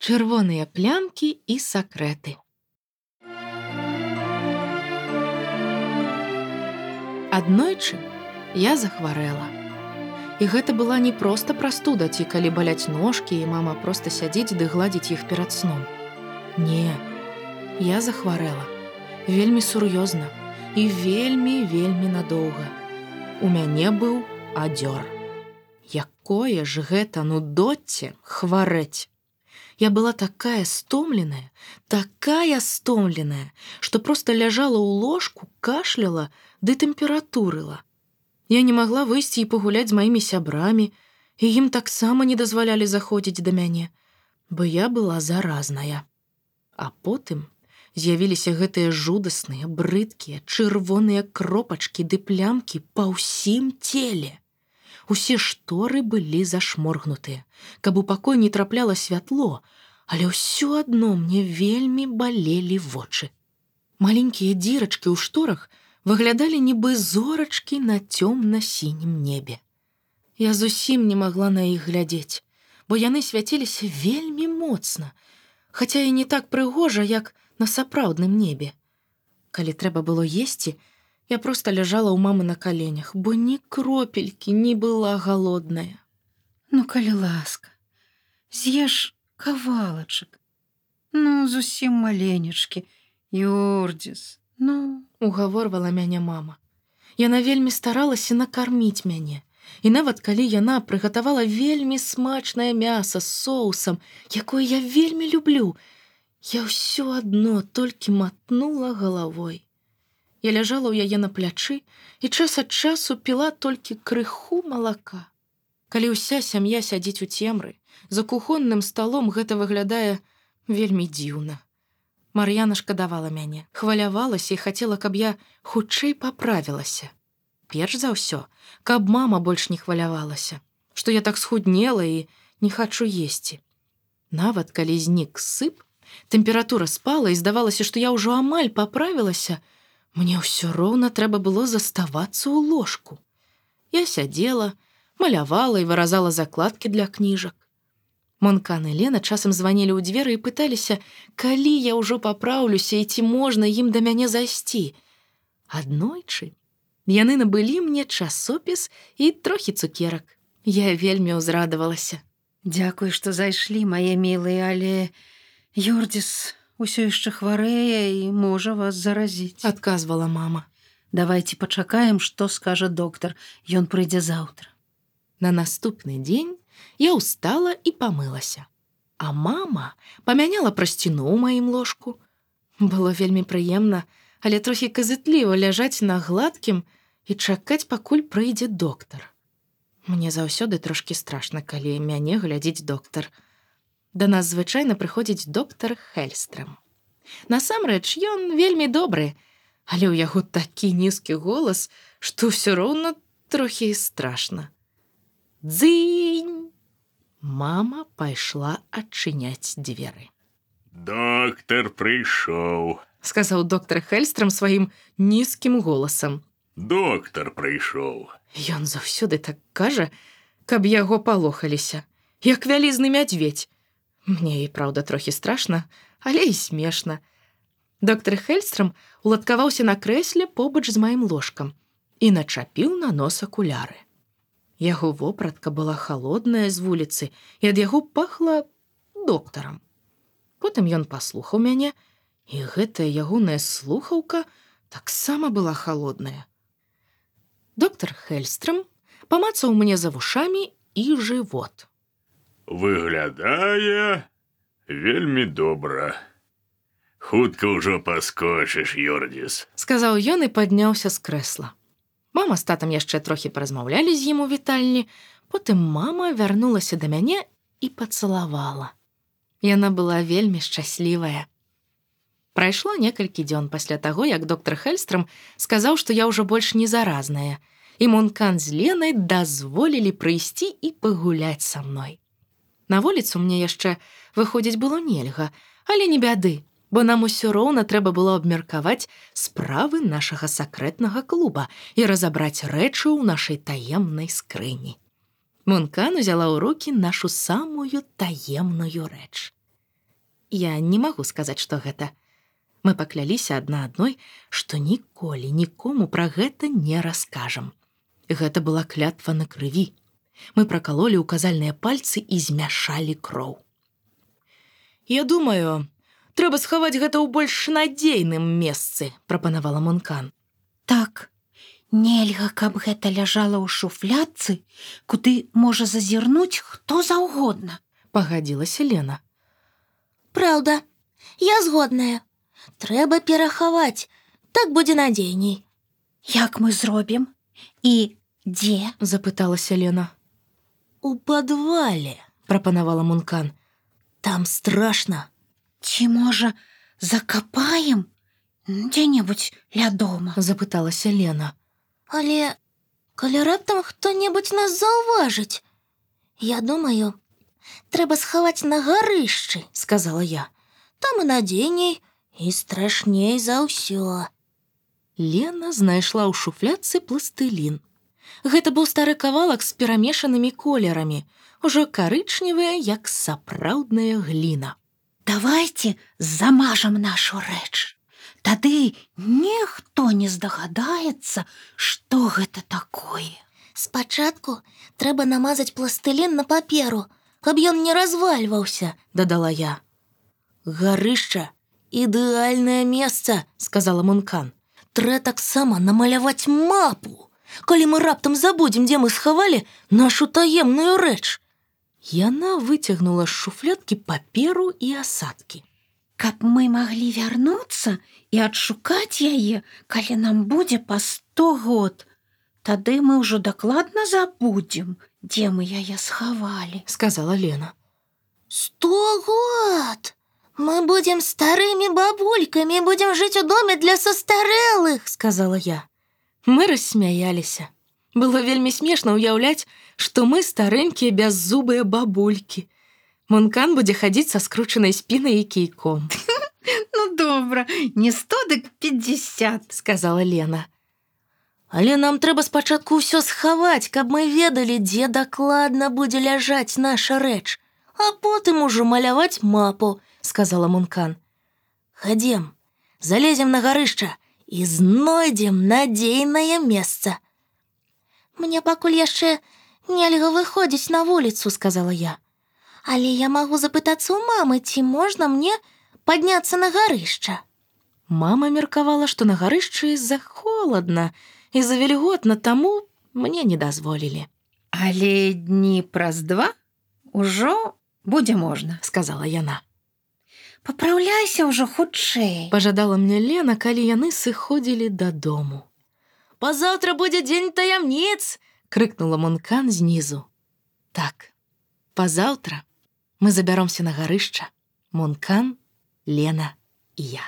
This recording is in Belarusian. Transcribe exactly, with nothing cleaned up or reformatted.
Чырвоныя плямкі і сакрэты. Аднойчы я захварэла. І гэта была не проста прастуда, ці калі баляць ножкі, і мама проста сядзіць ды гладзіць іх перад сном. Не, я захварэла. Вельмі сур'ёзна і вельмі-вельмі надоўга. У мяне быў адзёр. Якое ж гэта нудоцце хварэць. Я была такая стомленая, такая стомленая, што проста ляжала ў ложку, кашляла ды тэмпературыла. Я не магла выйсці і пагуляць з маімі сябрамі, і ім таксама не дазвалялі заходзіць да мяне, бо я была заразная. А потым з'явіліся гэтыя жудасныя, брыдкія, чырвоныя кропачкі ды плямкі па ўсім целе. Усе шторы былі зашморгнутыя, каб у пакой не трапляла святло, але ўсё адно мне вельмі балелі вочы. Маленькія дзірачкі ў шторах выглядалі нібы зорачкі на цёмна-сінім небе. Я зусім не магла на іх глядзець, бо яны свяціліся вельмі моцна, хаця і не так прыгожа, як на сапраўдным небе. Калі трэба было есці, я проста ляжала ў мамы на каленях, бо ні кропелькі не была галодная. Ну, калі ласка, з'еш кавалачак. Ну, зусім маленечкі, Юрдзіс, ну... Угаворвала мяне мама. Яна вельмі старалася накарміць мяне. І нават калі яна прыгатавала вельмі смачнае мяса з соусам, якое я вельмі люблю, я ўсё адно толькі матнула галавой. Я ляжала ў яе на плячы і час ад часу піла толькі крыху малака. Калі ўся сям'я сядзіць у цемры, за кухонным сталом гэта выглядае вельмі дзіўна. Мар'яна шкадавала мяне, хвалявалася і хацела, каб я хутчэй паправілася. Перш за ўсё, каб мама больш не хвалявалася, што я так схуднела і не хачу есці. Нават калі знік сып, тэмпература спала і здавалася, што я ўжо амаль паправілася, мне ўсё роўна трэба было заставацца ў ложку. Я сядзела, малявала і выразала закладкі для кніжак. Монкан і Лена часам званілі ў дзверы і пыталіся, калі я ўжо папраўлюся і ці можна ім да мяне зайсці. Аднойчы яны набылі мне часопіс і трохі цукерак. Я вельмі ўзрадавалася. Дзякуй, што зайшлі, мае мілыя, але Юрдзіс усё яшчэ хварэе і можа вас заразіць. Адказвала мама. Давайце пачакаем, што скажа доктар. Ён прыйдзе заўтра. На наступны дзень я ўстала і памылася. А мама памяняла прасціну ў маім ложку. Было вельмі прыемна, але трохі казытліва ляжаць на гладкім і чакаць, пакуль прыйдзе доктар. Мне заўсёды трошкі страшна, калі мяне глядзіць доктар. Да нас звычайна прыходзіць доктар Хельстрам. Насамрэч, ён вельмі добры, але ў яго такі нізкі голас, што ўсё роўна трохі страшна. Дзынь! Мама пайшла адчыняць дзверы. «Доктар прыйшоў», — сказаў доктар Хельстрам сваім нізкім голасам. «Доктар прыйшоў». Ён заўсёды так кажа, каб яго палохаліся, як вялізны мядзведзь. Мне і праўда трохі страшна, але і смешна. Доктар Хельстрам уладкаваўся на крэсле побач з маім ложкам і начапіў на нос акуляры. Яго вопратка была халодная з вуліцы, і ад яго пахла доктарам. Потым ён паслухаў мяне, і гэтая ягоная слухаўка таксама была халодная. Доктар Хельстрам памацаў мне за вушамі і жывот. «Выглядае вельмі добра. Хутка ўжо паскочыш, Юрдзіс», — сказаў ён і падняўся з крэсла. Мама з татам яшчэ трохі паразмаўлялі з ім у вітальні, потым мама вярнулася да мяне і пацалавала. Яна была вельмі шчаслівая. Прайшло некалькі дзён пасля таго, як доктар Хельстрам сказаў, што я ўжо больш не заразная, і Монкан з Ленай дазволілі прыйсці і пагуляць са мной. На вуліцу мне яшчэ выходзіць было нельга, але не бяды, бо нам усё роўна трэба было абмеркаваць справы нашага сакрэтнага клуба і разабраць рэчы ў нашай таемнай скрыні. Монкан узяла ў рукі нашу самую таемную рэч. Я не магу сказаць, што гэта. Мы пакляліся адна адной, што ніколі нікому пра гэта не раскажам. Гэта была клятва на крыві. Мы пракалолі ўказальныя пальцы і змяшалі кроў. Я думаю, трэба схаваць гэта ў больш надзейным месцы, прапанавала Мункан. Так, нельга, каб гэта ляжала ў шуфлядцы, куды можа зазірнуць хто заўгодна, пагадзілася Лена. Праўда, я згодная. Трэба перахаваць, так будзе надзейней. Як мы зробім? І дзе? Запыталася Лена. У падвале, прапанавала Мункан. Там страшна. Ці, можа, закапаем дзе-небудзь ля дома? Запыталася Лена. Але калі раптам хто-небудзь нас заўважыць, я думаю, трэба схаваць на гарышчы, сказала я. Там і надзейней, і страшней за ўсё. Лена знайшла ў шуфлядцы пластылін. Гэта быў стары кавалак з перамешанымі колерамі, ужо карычневыя, як сапраўдная гліна. Давайте замажам нашу рэч. Тады ніхто не здагадаецца, што гэта такое. Спачатку трэба намазаць пластылін на паперу, каб ён не развальваўся, дадала я. Гарышча — ідэальнае месца, сказала Мункан. Трэ таксама намаляваць мапу, калі мы раптам забудзем, дзе мы схавалі нашу таемную рэч. Яна выцягнула з шуфлядкі паперу і асадкі. Каб мы маглі вярнуцца і адшукаць яе, калі нам будзе па сто год, тады мы ўжо дакладна забудзем, дзе мы яе схавалі, сказала Лена. Сто год! Мы будзем старымі бабулькамі, будзем жыць у доме для састарэлых, сказала я. Мы рассмяяліся. Было вельмі смешна ўяўляць, што мы старэнькія бяззубыя бабулькі. Мункан будзе хадзіць са скручанай спінай і кійком. Ну добра, не сто, дык пятьдесят, сказала Лена. Але нам трэба спачатку ўсё схаваць, каб мы ведалі, дзе дакладна будзе ляжаць наша рэч, а потым ужо маляваць мапу, сказала Мункан. Хадзем, залезем на гарышча і знойдзем надзейнае месца. Мне пакуль яшчэ нельга выходзіць на вуліцу, сказала я. Але я магу запытацца ў мамы, ці можна мне падняцца на гарышча. Мама меркавала, што на гарышчы захоладна і завільготна, таму мне не дазволілі. Але дні праз два ўжо будзе можна, сказала яна. Папраўляйся ўжо хутчэй, пажадала мне Лена, калі яны сыходзілі дадому. Пазаўтра будзе дзень таямніц, крыкнула Мункан знізу. Так, пазаўтра мы забяромся на гарышча. Мункан, Лена і я.